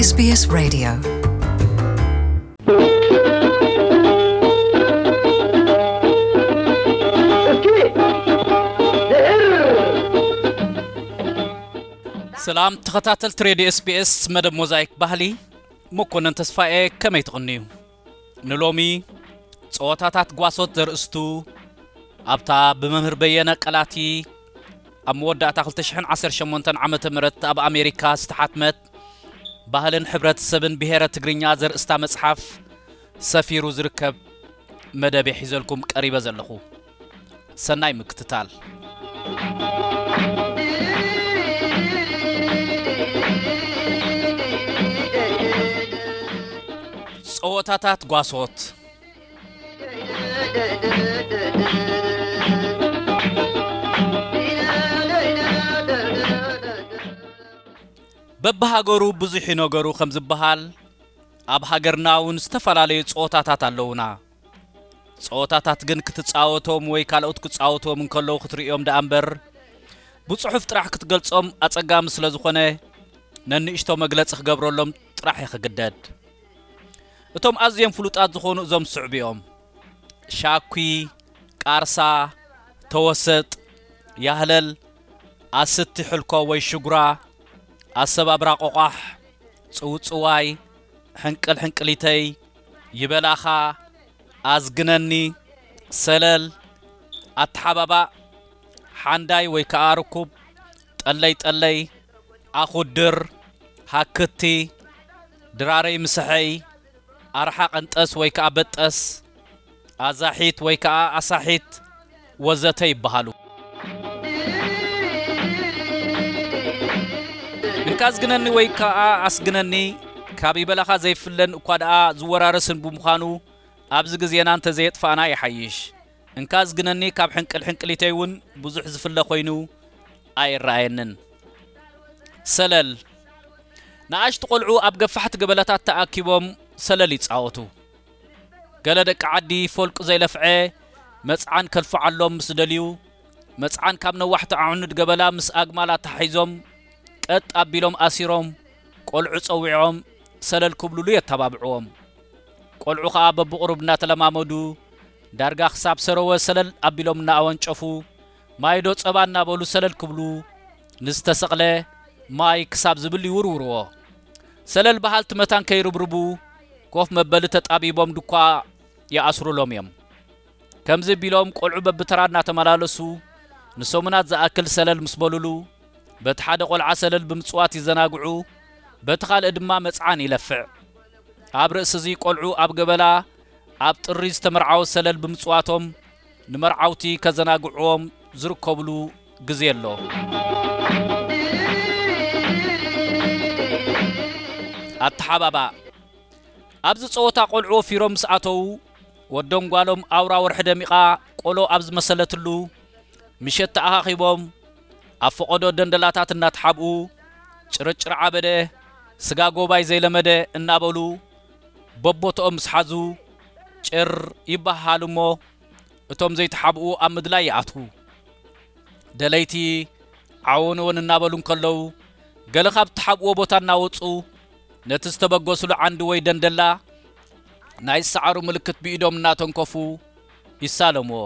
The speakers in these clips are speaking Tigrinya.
S B S Radio. ሰላም ተኸታተልቲ ሬድዮ S B S መደብ ሞዛይክ ባህሊ፣ መኮነን ተስፋኤ፣ ከመይ ትቕንዩ? ንሎሚ ጸወታታት ጓሶት ዘርእስቱ ኣብታ ብመምህር በየነ ቀላቲ ኣብ መወዳእታ ክልተ ሽሕን ዓሰርተ ሸሞንተን ዓመተ ምህረት ኣብ ኣሜሪካ ዝተሓትመት ባህልን ሕብረተሰብን ብሄረ ትግርኛ ዘርእስታ መጽሓፍ ሰፊሩ ዝርከብ መደብ ሒዘልኩም ቀሪበ ዘለኹ። ሰናይ ምክትታል። ጸወታታት ጓሶት። በብሃገሩ ብዙሕ እዩ ነገሩ ከም ዝበሃል፣ ኣብ ሃገርና እውን ዝተፈላለዩ ጸወታታት ኣለዉና። ጸወታታት ግን ክትጻወቶም ወይ ካልኦት ክጻወትዎም እንከለዉ ክትርእዮም ደኣ እምበር፣ ብጽሑፍ ጥራሕ ክትገልጾም ኣጸጋሚ ስለ ዝኾነ፣ ነንእሽቶ መግለጺ ክገብረሎም ጥራሕ እየ ክግደድ። እቶም ኣዝዮም ፍሉጣት ዝኾኑ እዞም ዝስዕቡ እዮም። ሻኲ፣ ቃርሳ፣ ተወሰጥ፣ ያህለል፣ ኣስቲ ሕልኮ ወይ ሽጉራ፣ ኣሰባብራ ቆቋሕ፣ ጽውጽዋይ፣ ሕንቅል ሕንቅሊተይ፣ ይበላኻ፣ ኣዝግነኒ፣ ሰለል፣ ኣተሓባባእ፣ ሓንዳይ ወይ ከኣ ርኩብ፣ ጠለይ ጠለይ፣ ኣኹድር፣ ሃክቲ፣ ድራረይ ምስሐይ፣ ኣርሓ ቀንጠስ ወይ ከኣ በጠስ፣ ኣዛሒት ወይ ከኣ ኣሳሒት ወዘተ ይበሃሉ። እንካ ኣዝግነኒ ወይ ከኣ ኣስግነኒ ካብ ይበላኻ ዘይፍለን እኳ ደኣ ዝወራረስን ብምዃኑ ኣብዚ ግዜና እንተዘየጥፋእና ይሓይሽ። እንካ ኣዝግነኒ ካብ ሕንቅል ሕንቅሊተይ እውን ብዙሕ ዝፍለ ኮይኑ ኣይረኣየንን። ሰለል። ንኣሽቱ ቆልዑ ኣብ ገፋሕቲ ገበላታት ተኣኪቦም ሰለል ይጻወቱ። ገለ ደቂ ዓዲ ፎልቁ ዘይለፍዐ መጽዓን ከልፍዓሎም ምስ ደልዩ፣ መጽዓን ካብ ነዋሕቲ ኣዕኑድ ገበላ ምስ ኣግማል ኣተሓሒዞም ቀጥ ኣቢሎም ኣሲሮም፣ ቆልዑ ጸዊዖም ሰለል ክብሉሉ የተባብዕዎም። ቆልዑ ኸኣ በብቑሩብ እናተለማመዱ፣ ዳርጋ ክሳብ ሰረወ ሰለል ኣቢሎም እናኣወንጨፉ፣ ማይዶ ጸባ እናበሉ ሰለል ክብሉ፣ ንዝተሰቕለ ማይ ክሳብ ዝብል ይውርውርዎ። ሰለል በሃልቲ መታን ከይርብርቡ፣ ኮፍ መበሊ ተጣቢቦም ድኳ ይኣስሩሎም እዮም። ከምዚ ቢሎም ቆልዑ በብተራ እናተመላለሱ ንሰሙናት ዝኣክል ሰለል ምስ በሉሉ፣ በቲ ሓደ ቆልዓ ሰለል ብምጽዋት ይዘናግዑ፣ በቲ ካልእ ድማ መጽዓን ይለፍዕ። ኣብ ርእሲ እዚ ቆልዑ ኣብ ገበላ ኣብ ጥሪ ዝተመርዓወ ሰለል ብምጽዋቶም ንመርዓውቲ ከዘናግዕዎም ዝርከብሉ ግዜ ኣሎ። ኣተሓባባእ። ኣብዚ ጸወታ ቆልዑ ወፊሮም ምስ ኣተዉ፣ ወዶም ጓሎም ኣውራ ወርሒ ደሚቓ ቆሎ ኣብ ዝመሰለትሉ ምሸት ተኣኻኺቦም ኣብ ፈቐዶ ደንደላታት እናተሓብኡ፣ ጭርጭር ዓበደ፣ ስጋ ጎባይ ዘይለመደ እናበሉ በቦትኦም ምስ ሓዙ ጭር ይበሃሃሉ እሞ፣ እቶም ዘይተሓብኡ ኣብ ምድላይ ይኣትዉ። ደለይቲ ዓወንወን እናበሉ እንከለዉ፣ ገለ ካብ እተሓብእዎ ቦታ እናወጹ፣ ነቲ ዝተበገሱሉ ዓንዲ ወይ ደንደላ ናይ ዝሰዓሩ ምልክት ብኢዶም እናተንከፉ ይሳለምዎ።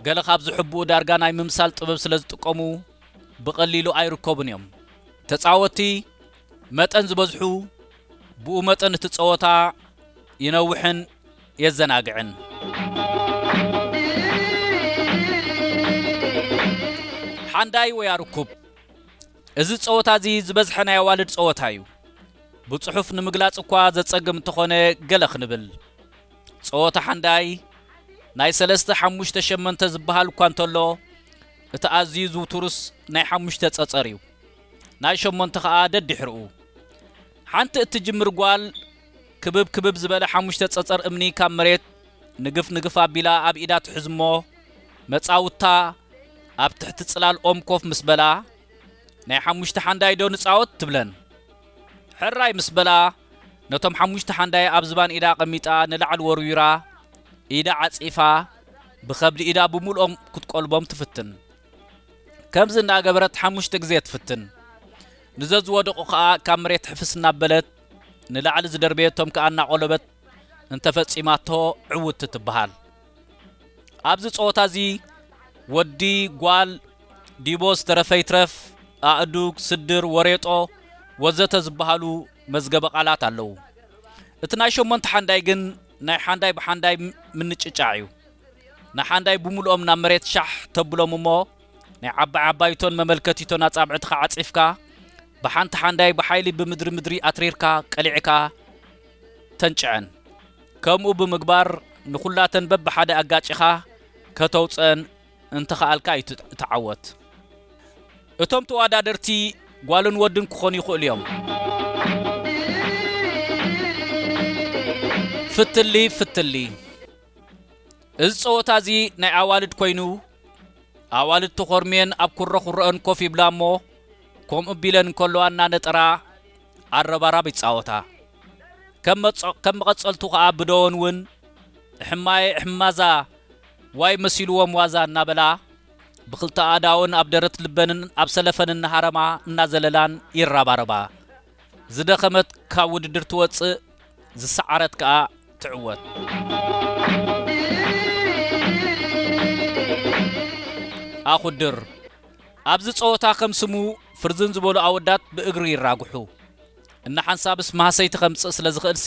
ገለ ካብ ዝሕብኡ ዳርጋ ናይ ምምሳል ጥበብ ስለ ዝጥቀሙ፣ ብቐሊሉ ኣይርከቡን እዮም። ተጻወትቲ መጠን ዝበዝሑ፣ ብኡ መጠን እቲ ጸወታ ይነውሕን የዘናግዕን። ሓንዳይ ወይ ኣርኩብ። እዚ ጸወታ እዚ ዝበዝሐ ናይ ኣዋልድ ጸወታ እዩ። ብጽሑፍ ንምግላጽ እኳ ዘጸግም እንተኾነ፣ ገለ ክንብል። ጸወታ ሓንዳይ ናይ ሰለስተ፣ ሓሙሽተ፣ ሸመንተ ዝበሃል እኳ እንተሎ፣ እቲ ኣዝዩ ዝውቱርስ ናይ ሓሙሽተ ጸጸር እዩ። ናይ ሸሞንተ ኸኣ ደድሕርኡ። ሓንቲ እትጅምር ጓል ክብብ ክብብ ዝበለ ሓሙሽተ ጸጸር እምኒ ካብ መሬት ንግፍ ንግፍ ኣቢላ ኣብ ኢዳ ትሕዝ እሞ፣ መጻውታ ኣብ ትሕቲ ጽላል ኦም ኮፍ ምስ በላ፣ "ናይ ሓሙሽተ ሓንዳይ ዶ ንጻወት?" ትብለን። "ሕራይ" ምስ በላ፣ ነቶም ሓሙሽተ ሓንዳይ ኣብ ዝባን ኢዳ ኣቐሚጣ ንላዕሊ ወርዊራ፣ ኢዳ ዓጺፋ፣ ብኸብዲ ኢዳ ብምልኦም ክትቆልቦም ትፍትን። ከምዚ እናገበረት ሓሙሽተ ግዜ ትፍትን። ንዘዝወደቑ ኸኣ ካብ መሬት ሕፍስ እናበለት ንላዕሊ ዝደርበየቶም ከኣ እናቖለበት እንተፈጺማቶ ዕውትቲ ትበሃል። ኣብዚ ጸወታ እዚ ወዲ፣ ጓል፣ ዲቦ፣ ዝተረፈ ይትረፍ፣ ኣእዱግ፣ ስድር፣ ወሬጦ ወዘተ ዝበሃሉ መዝገበ ቃላት ኣለዉ። እቲ ናይ ሸሞንተ ሓንዳይ ግን ናይ ሓንዳይ ብሓንዳይ ምንጭጫዕ እዩ። ንሓንዳይ ብምልኦም ናብ መሬት ሻሕ ተብሎም እሞ ናይ ዓባይ ዓባይቶን መመልከቲቶን ኣጻብዕትኻ ዓጺፍካ ብሓንቲ ሓንዳይ ብሓይሊ ብምድሪ ምድሪ ኣትሪርካ ቀሊዕካ ተንጭዐን። ከምኡ ብምግባር ንኹላተን በብሓደ ኣጋጭኻ ከተውፀን እንተኸኣልካ እዩ እቲ ዓወት። እቶም ተወዳደርቲ ጓልን ወድን ክኾኑ ይኽእሉ እዮም። ፍትሊ ፍትሊ። እዚ ጸወታ እዚ ናይ ኣዋልድ ኮይኑ፣ ኣዋልድ ተኾርምየን ኣብ ኩረኹረአን ኮፍ ይብላ እሞ፣ ከምኡ ቢለን እንከለዋ እናነጠራ ኣረባራብ ይጻወታ። ከም መጸ-፣ ከም መቐጸልቱ ከኣ ብደወን እውን እሕማየ እሕማዛ ዋይ መሲልዎም ዋዛ እናበላ፣ ብኽልተ ኣእዳወን ኣብ ደረት ልበንን ኣብ ሰለፈን እናሃረማ እናዘለላን ይራባረባ። ዝደኸመት ካብ ውድድር ትወጽእ፣ ዝሰዓረት ከኣ ትዕወት። ኣኹድር። ኣብዚ ጸወታ ከም ስሙ ፍርዝን ዝበሉ ኣወዳት ብእግሪ ይራግሑ። እናሓንሳብስ ማህሰይቲ ከምጽእ ስለ ዝኽእልሲ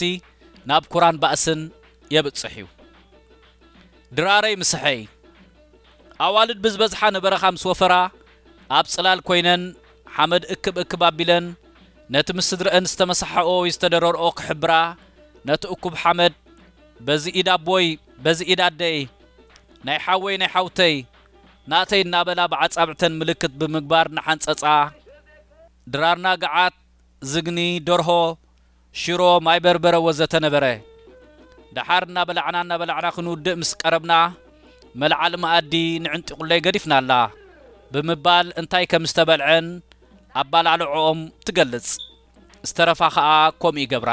ናብ ኩራን ባእስን የብጽሕ እዩ። ድራረይ ምስሐይ። ኣዋልድ ብዝበዝሓ ንበረኻ ምስ ወፈራ፣ ኣብ ጽላል ኮይነን፣ ሓመድ እክብ እክብ ኣቢለን፣ ነቲ ምስ ስድረአን ዝተመሳሕኦ ወይ ዝተደረርኦ ክሕብራ፣ ነቲ እኩብ ሓመድ፣ በዚ ኢድ ኣቦይ፣ በዚ ኢድ ኣደይ፣ ናይ ሓወይ፣ ናይ ሓውተይ፣ ናተይ እናበላ ብዓጻብዕተን ምልክት ብምግባር እናሓንጸጻ፣ ድራርና ገዓት፣ ዝግኒ፣ ደርሆ፣ ሽሮ፣ ማይ በርበረ ወዘተ ነበረ። ደሓር እናበላዕና እናበላዕና ክንውድእ ምስ ቀረብና፣ "መልዓሊ መኣዲ ንዕንጢቑለይ ገዲፍናላ" ብምባል እንታይ ከም ዝተበልዐን ኣባላልዕኦም ትገልጽ። ዝተረፋ ኸኣ ከምኡ ይገብራ።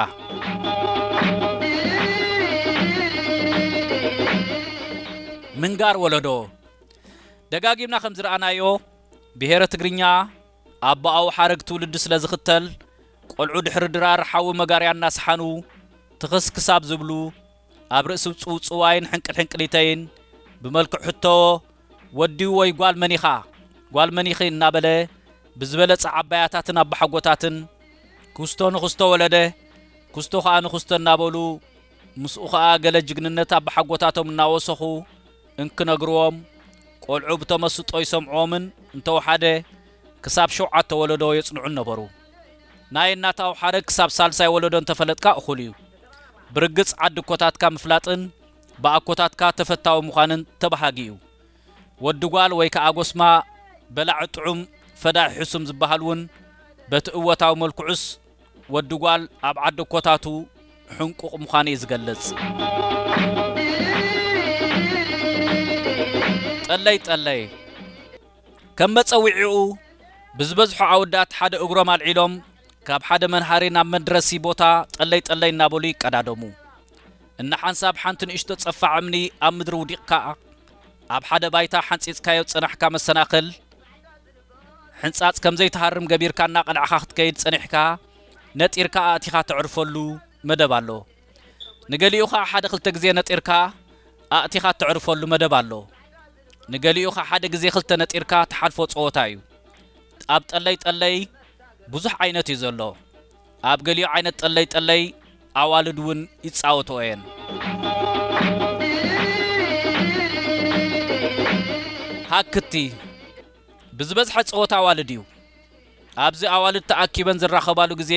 ምንጋር ወለዶ። ደጋጊምና ከም ዝረኣናዮ፣ ብሄረ ትግርኛ ኣቦኣዊ ሓረግ ትውልዲ ስለ ዝኽተል፣ ቆልዑ ድሕሪ ድራር ሓዊ መጋርያ እናሰሓኑ ትኽስ ክሳብ ዝብሉ፣ ኣብ ርእሲ ጽውጽዋይን ሕንቅልሕንቅሊተይን ብመልክዕ ሕቶ፣ "ወዲ ወይ ጓል መን ኢኻ? ጓል መን ኢኺ?" እናበለ ብዝበለጸ ዓባያታትን ኣባሓጎታትን፣ "ክስቶ ንኽስቶ ወለደ፣ ክስቶ ኸኣ ንኽስቶ" እናበሉ፣ ምስኡ ኸኣ ገለ ጅግንነት ኣባሓጎታቶም እናወሰኹ እንክነግርዎም፣ ቆልዑ ብተመስጦ ይሰምዕዎምን እንተወሓደ ክሳብ ሸውዓተ ወለዶ የጽንዑን ነበሩ። ናይ እናታዊ ሓረግ ክሳብ ሳልሳይ ወለዶ እንተፈለጥካ እኹል እዩ። ብርግጽ ዓዲ ኣኮታትካ ምፍላጥን ብኣኮታትካ ተፈታዊ ምዃንን ተባሃጊ እዩ። ወዲ ጓል ወይ ከኣ ጎስማ በላዒ ጥዑም ፈዳኢ ሕሱም ዝበሃል እውን በቲ እወታዊ መልክዑስ ወዲ ጓል ኣብ ዓዲ ኣኮታቱ ሕንቁቕ ምዃኑ እዩ ዝገልጽ። ጠለይ ጠለይ። ከም መጸዊዒኡ ብዝበዝሑ ኣወዳት ሓደ እግሮም ኣልዒሎም ካብ ሓደ መንሃሪ ናብ መድረሲ ቦታ ጠለይ ጠለይ እናበሉ ይቀዳደሙ። እናሓንሳብ ሓንቲ ንእሽቶ ጸፋዕ እምኒ ኣብ ምድሪ ውዲቕካ ኣብ ሓደ ባይታ ሓንጺጽካዮ ዝጸናሕካ መሰናኽል፣ ሕንጻጽ ከም ዘይትሃርም ገቢርካ እናቐላዕኻ ክትከይድ ጸኒሕካ፣ ነጢርካ ኣእቲኻ ተዕርፈሉ መደብ ኣሎ። ንገሊኡ ኸኣ ሓደ ክልተ ግዜ ነጢርካ ኣእቲኻ ተዕርፈሉ መደብ ኣሎ። ንገሊኡ ኸኣ ሓደ ግዜ ክልተ ነጢርካ ትሓልፎ ጸወታ እዩ። ኣብ ጠለይ ጠለይ ብዙሕ ዓይነት እዩ ዘሎ። ኣብ ገሊኡ ዓይነት ጠለይ ጠለይ ኣዋልድ እውን ይጻወትኦ እየን። ሃክቲ። ብዝበዝሐ ጸወታ ኣዋልድ እዩ። ኣብዚ ኣዋልድ ተኣኪበን ዝራኸባሉ ግዜ፣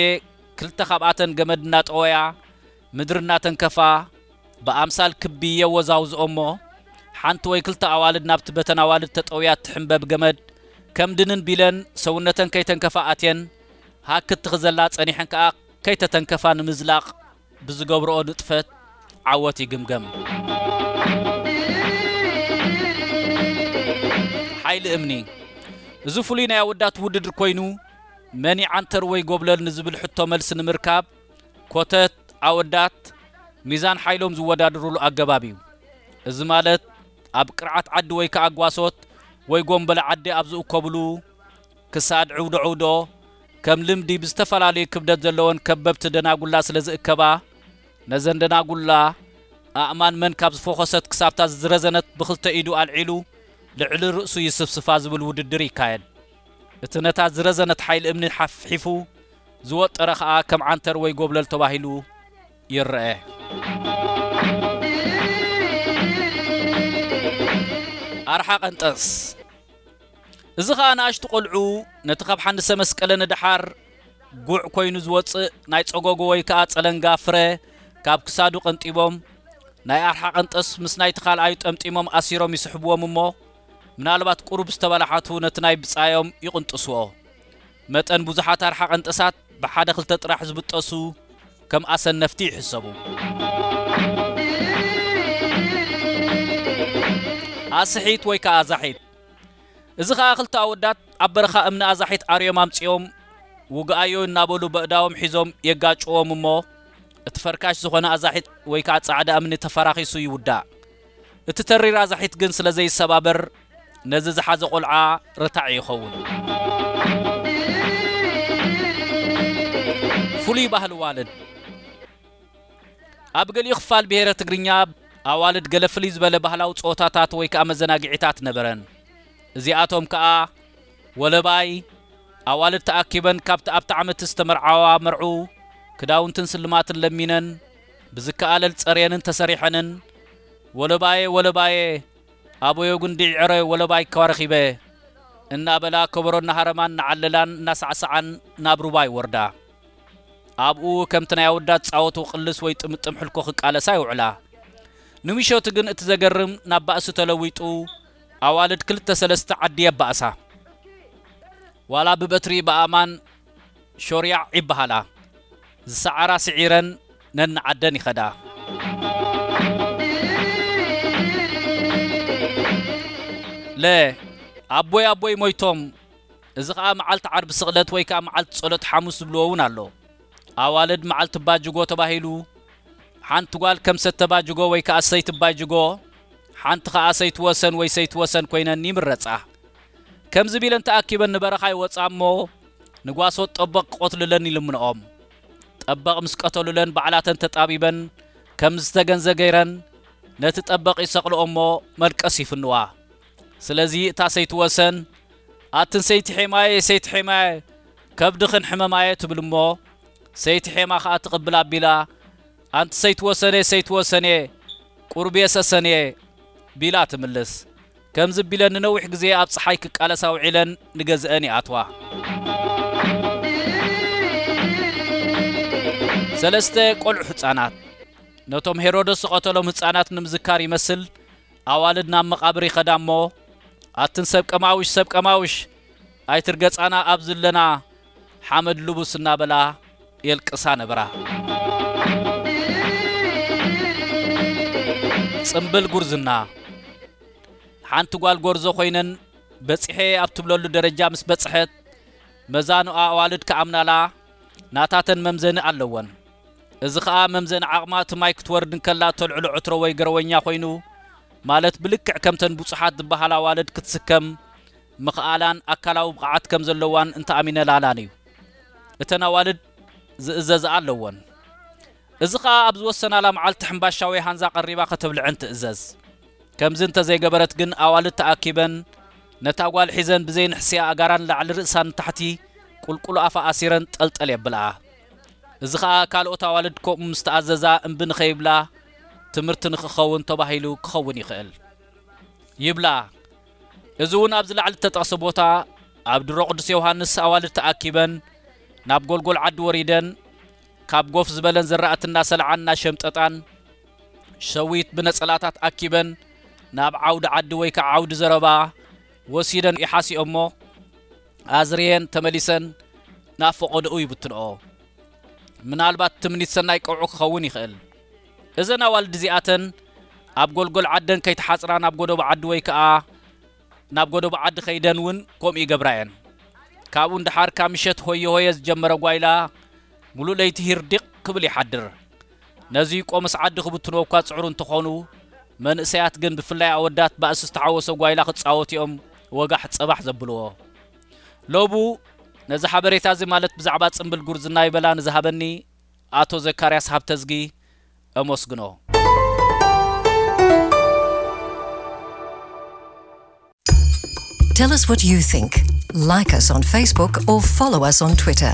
ክልተ ካብኣተን ገመድ እናጠወያ፣ ምድሪ እናተንከፋ፣ ብኣምሳል ክቢ የወዛውዝኦ እሞ፣ ሓንቲ ወይ ክልተ ኣዋልድ ናብቲ በተን ኣዋልድ ተጠውያ እትሕንበብ ገመድ ከም ድንን ቢለን ሰውነተን ከይተንከፋ ኣትየን፣ ሃክቲ ክዘላ ጸኒሐን ከኣ ከይተተንከፋ ንምዝላቕ ብዝገብርኦ ንጥፈት ዓወት ይግምገም። ሓይሊ እምኒ። እዚ ፍሉይ ናይ ኣወዳት ውድድር ኮይኑ፣ መን ይዓንተር ወይ ጎብለል ንዝብል ሕቶ መልሲ ንምርካብ፣ ኮተት ኣወዳት ሚዛን ሓይሎም ዝወዳደሩሉ ኣገባብ እዩ። እዚ ማለት፣ ኣብ ቅርዓት ዓዲ ወይ ከኣ ጓሶት ወይ ጎምበል ዓዲ ኣብ ዝእከብሉ፣ ክሳድ ዕውዶ ዕውዶ፣ ከም ልምዲ ብዝተፈላለዩ ክብደት ዘለወን ከበብቲ ደናጉላ ስለ ዝእከባ፣ ነዘን ደናጉላ ኣእማን መን ካብ ዝፈኾሰት ክሳብታ ዝረዘነት ብኽልተ ኢዱ ኣልዒሉ ልዕሊ ርእሱ ይስፍስፋ ዝብል ውድድር ይካየድ። እቲ ነታ ዝረዘነት ሓይሊ እምኒ ሓፍሒፉ ዝወጠረ ኸኣ ከም ዓንተር ወይ ጎብለል ተባሂሉ ይረአ። ኣርሓ ቀንጠስ። እዚ ኸኣ ንኣሽቱ ቖልዑ ነቲ ካብ ሓንሰ መስቀለ ንደሓር ጉዕ ኮይኑ ዝወጽእ ናይ ጸጎጎ ወይ ከኣ ጸለንጋ ፍረ ካብ ክሳዱ ቀንጢቦም፣ ናይ ኣርሓ ቀንጠስ ምስ ናይቲ ካልኣዩ ጠምጢሞም ኣሲሮም ይስሕብዎም እሞ፣ ምናልባት ቁሩብ ዝተበላሓቱ ነቲ ናይ ብጻዮም ይቕንጥስዎ። መጠን ብዙሓት ኣርሓ ቀንጠሳት ብሓደ ክልተ ጥራሕ ዝብጠሱ ከም ኣሰነፍቲ ይሕሰቡ። ኣስሒት ወይ ከኣ ኣዛሒት። እዚ ኸኣ ክልተ ኣወዳት ኣብ በረኻ እምኒ ኣዛሒት ኣርዮም ኣምጺኦም ውግኣዮ እናበሉ በእዳዎም ሒዞም የጋጭዎም እሞ፣ እቲ ፈርካሽ ዝኾነ ኣዛሒት ወይ ከኣ ጻዕዳ እምኒ ተፈራኺሱ ይውዳእ። እቲ ተሪር ኣዛሒት ግን ስለ ዘይሰባበር፣ ነዚ ዝሓዘ ቖልዓ ረታዒ ይኸውን። ፍሉይ ባህሊ ዋልድ። ኣብ ገሊኡ ክፋል ብሄረ ትግርኛ ኣዋልድ ገለ ፍልይ ዝበለ ባህላዊ ጸወታታት ወይ ከኣ መዘናግዒታት ነበረን። እዚኣቶም ከኣ ወለባይ፣ ኣዋልድ ተኣኪበን ካብቲ ኣብቲ ዓመት ዝተመርዓዋ መርዑ ክዳውንትን ስልማትን ለሚነን ብዝከኣለል ጸርየንን ተሰሪሐንን፣ ወለባየ ወለባየ፣ ኣቦዮ ጉንዲ ይዕረ ወለባይ እኳ ረኺበ እናበላ ከበሮ እናሃረማን እናዓለላን እናሳዕሳዓን ናብ ሩባ ይወርዳ። ኣብኡ ከምቲ ናይ ኣወዳት ጻወቱ ቅልስ ወይ ጥምጥም ሕልኮ ክቃለሳ ይውዕላ። ንምሸቱ ግን እቲ ዘገርም ናብ ባእሲ ተለዊጡ ኣዋልድ ክልተ ሰለስተ ዓዲ የባእሳ። ዋላ ብበትሪ ብኣእማን ሾርያዕ ይበሃላ። ዝሰዓራ ስዒረን ነንዓደን ይኸዳ። ለ ኣቦይ ኣቦይ ሞይቶም። እዚ ኸኣ መዓልቲ ዓርቢ ስቕለት ወይ ከኣ መዓልቲ ጸሎት ሓሙስ ዝብልዎ እውን ኣሎ። ኣዋልድ መዓልቲ ባጅጎ ተባሂሉ፣ ሓንቲ ጓል ከም ሰተ ባጅጎ ወይ ከኣ ሰይቲ ባጅጎ፣ ሓንቲ ኸኣ ሰይቲ ወሰን ወይ ሰይቲ ወሰን ኮይነን ይምረጻ። ከምዚ ቢለን ተኣኪበን ንበረኻ ይወጻ እሞ፣ ንጓሶት ጠበቕ ክቐትሉለን ይልምንኦም። ጠበቕ ምስ ቀተሉለን ባዕላተን ተጣቢበን ከም ዝተገንዘ ገይረን ነቲ ጠበቕ ይሰቕልኦ እሞ መልቀስ ይፍንዋ። ስለዚ እታ ሰይቲ ወሰን፣ ኣትን ሰይቲ ሔማየ፣ ሰይቲ ሔማየ፣ ከብድኽን ሕመማየ ትብል እሞ፣ ሰይቲ ሔማ ኸኣ ትቕብል ኣቢላ፣ ኣንቲ ሰይቲ ወሰንየ፣ ሰይቲ ወሰንየ፣ ቁርብየ ሰሰንየ፣ ቢላ ትምልስ። ከምዚ ቢለን ንነዊሕ ግዜ ኣብ ጸሓይ ክቃለሳ ውዒለን ንገዝአን ይኣትዋ። ሰለስተ ቆልዑ ህጻናት። ነቶም ሄሮደስ ዝቐተሎም ህጻናት ንምዝካር ይመስል ኣዋልድ ናብ መቓብር ይኸዳ እሞ፣ ኣትን ሰብ ቀማውሽ፣ ሰብ ቀማውሽ፣ ኣይትርገጻና ኣብዚ ኣለና ሓመድ ልቡስ እናበላ የልቅሳ ነበራ። ጽምብል ጉርዝና። ሓንቲ ጓል ጎርዞ ኮይነን በጺሐ ኣብ ትብለሉ ደረጃ ምስ በጽሐት፣ መዛኑ ኣዋልድ ክኣምናላ ናታተን መምዘኒ ኣለወን። እዚ ኸኣ መምዘኒ ዓቕማ እቲ ማይ ክትወርድ እንከላ ተልዕሎ ዕትሮ ወይ ገረወኛ ኮይኑ፣ ማለት ብልክዕ ከምተን ብጹሓት ዝበሃላ ኣዋልድ ክትስከም ምኽኣላን ኣካላዊ ብቕዓት ከም ዘለዋን እንተኣሚነላላን እዩ። እተን ኣዋልድ ዝእዘዝኣ ኣለወን። እዚ ኸኣ ኣብ ዝወሰናላ መዓልቲ ሕምባሻ ወይ ሃንዛ ቀሪባ ከተብልዐን ትእዘዝ። ከምዚ እንተ ዘይገበረት ግን ኣዋልድ ተኣኪበን ነታ ጓል ሒዘን ብዘይንሕስያ ኣጋራን ላዕሊ ርእሳን ንታሕቲ ቁልቁል ኣፋ ኣሲረን ጠልጠል የብልኣ። እዚ ኸኣ ካልኦት ኣዋልድ ከምኡ ምስ ተኣዘዛ እምቢ ንኸይብላ ትምህርቲ ንኽኸውን ተባሂሉ ክኸውን ይኽእል። ይብላ። እዚ እውን ኣብዚ ላዕሊ እተጠቕሰ ቦታ ኣብ ድሮ ቅዱስ ዮሃንስ ኣዋልድ ተኣኪበን ናብ ጎልጎል ዓዲ ወሪደን ካብ ጎፍ ዝበለን ዘራእቲ እናሰልዓን እናሸምጠጣን ሸዊት ብነጸላታት ኣኪበን ናብ ዓውዲ ዓዲ ወይ ከዓ ዓውዲ ዘረባ ወሲደን ይሓስዮሞ ኣዝርየን ተመሊሰን ናብ ፈቐዶኡ ይብትንኦ። ምናልባት ትምኒት ሰናይ ቀውዑ ክኸውን ይኽእል። እዘን ኣዋልድ እዚኣተን ኣብ ጎልጎል ዓደን ከይተሓጽራ ናብ ጎደቦ ዓዲ ወይ ከኣ ናብ ጎደቦ ዓዲ ከይደን እውን ከምኡ ይገብራ እየን። ካብኡ ንደሓር ካብ ምሸት ሆየ ሆየ ዝጀመረ ጓይላ ሙሉእ ለይቲ ሂርዲቕ ክብል ይሓድር። ነዚ ቆመስ ዓዲ ክብትንዎ እኳ ጽዕሩ እንተኾኑ፣ መንእሰያት ግን ብፍላይ ኣወዳት ባእሲ ዝተሓወሶ ጓይላ ክጻወቱ እዮም ወጋሕ ጸባሕ ዘብልዎ። ሎቡ ነዚ ሓበሬታ እዚ ማለት ብዛዕባ ጽምብል ጉርዝና ይበላ ንዝሃበኒ ኣቶ ዘካርያስ ሃብተዝጊ እሞስግኖ። Tell us what you think. Like us on Facebook or follow us on Twitter.